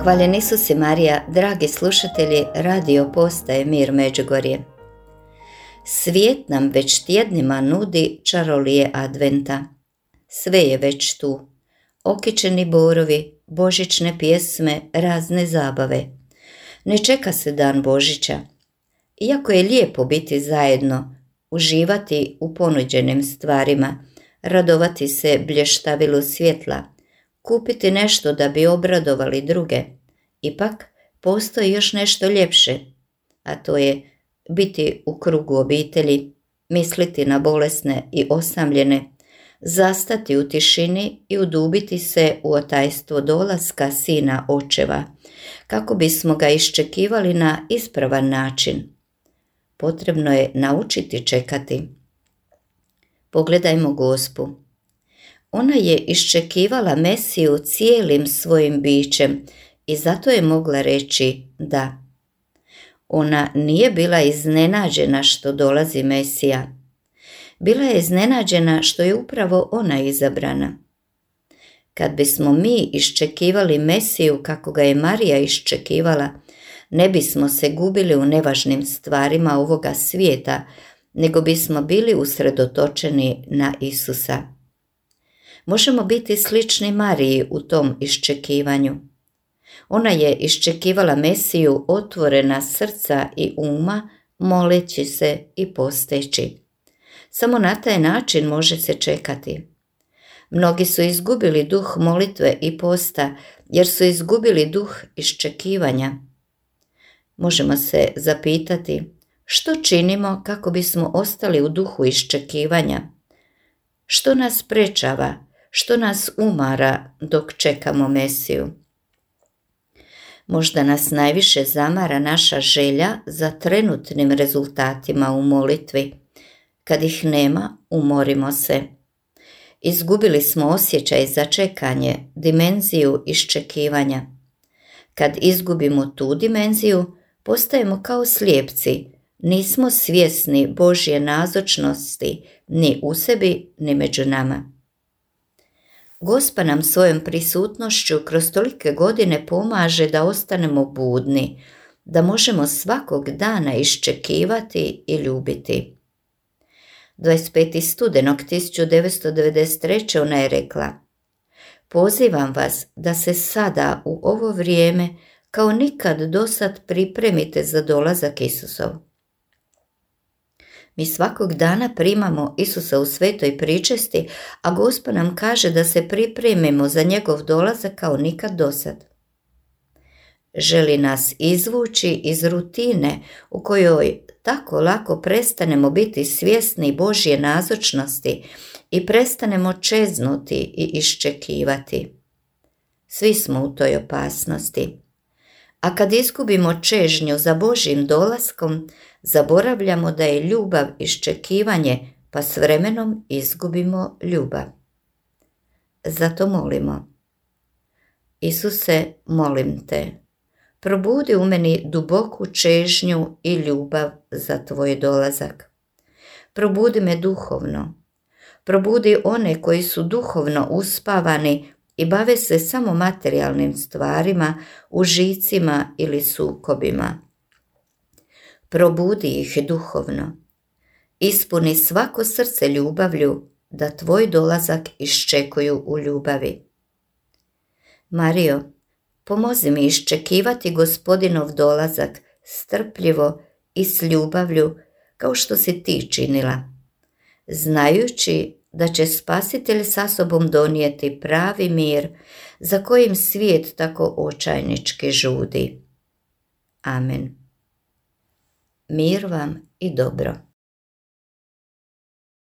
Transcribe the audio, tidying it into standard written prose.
Hvaljen Isus Marija, dragi slušatelji radio postaje Mir Međugorje. Svijet nam već tjednima nudi čarolije adventa. Sve je već tu. Okićeni borovi, božićne pjesme, razne zabave. Ne čeka se dan Božića. Iako je lijepo biti zajedno, uživati u ponuđenim stvarima, radovati se blještavilu svjetla, kupiti nešto da bi obradovali druge, ipak postoji još nešto ljepše, a to je biti u krugu obitelji, misliti na bolesne i osamljene, zastati u tišini i udubiti se u otajstvo dolaska Sina Očeva, kako bismo ga iščekivali na ispravan način. Potrebno je naučiti čekati. Pogledajmo Gospu. Ona je iščekivala Mesiju cijelim svojim bićem i zato je mogla reći da. Ona nije bila iznenađena što dolazi Mesija. Bila je iznenađena što je upravo ona izabrana. Kad bismo mi iščekivali Mesiju kako ga je Marija iščekivala, ne bismo se gubili u nevažnim stvarima ovoga svijeta, nego bismo bili usredotočeni na Isusa. Možemo biti slični Mariji u tom iščekivanju. Ona je iščekivala Mesiju otvorena srca i uma, moleći se i posteći. Samo na taj način može se čekati. Mnogi su izgubili duh molitve i posta, jer su izgubili duh iščekivanja. Možemo se zapitati, što činimo kako bismo ostali u duhu iščekivanja? Što nas sprečava? Što nas umara dok čekamo Mesiju? Možda nas najviše zamara naša želja za trenutnim rezultatima u molitvi. Kad ih nema, umorimo se. Izgubili smo osjećaj za čekanje, dimenziju iščekivanja. Kad izgubimo tu dimenziju, postajemo kao slijepci, nismo svjesni Božje nazočnosti ni u sebi, ni među nama. Gospa nam svojom prisutnošću kroz tolike godine pomaže da ostanemo budni, da možemo svakog dana iščekivati i ljubiti. 25. studenog 1993. ona je rekla: pozivam vas da se sada u ovo vrijeme kao nikad dosad pripremite za dolazak Isusov. Mi svakog dana primamo Isusa u svetoj pričesti, a Gospa nam kaže da se pripremimo za njegov dolazak kao nikad dosad. Želi nas izvući iz rutine u kojoj tako lako prestanemo biti svjesni Božje nazočnosti i prestanemo čeznuti i iščekivati. Svi smo u toj opasnosti. A kad izgubimo čežnju za Božjim dolaskom, zaboravljamo da je ljubav iščekivanje, pa s vremenom izgubimo ljubav. Zato molimo: Isuse, molim te, probudi u meni duboku čežnju i ljubav za tvoj dolazak. Probudi me duhovno. Probudi one koji su duhovno uspavani i bave se samo materijalnim stvarima, užicima ili sukobima. Probudi ih duhovno. Ispuni svako srce ljubavlju da tvoj dolazak iščekuju u ljubavi. Marijo, pomozi mi iščekivati Gospodinov dolazak strpljivo i s ljubavlju kao što si ti činila, znajući da će Spasitelj sa sobom donijeti pravi mir za kojim svijet tako očajnički žudi. Amen. Mir vam i dobro.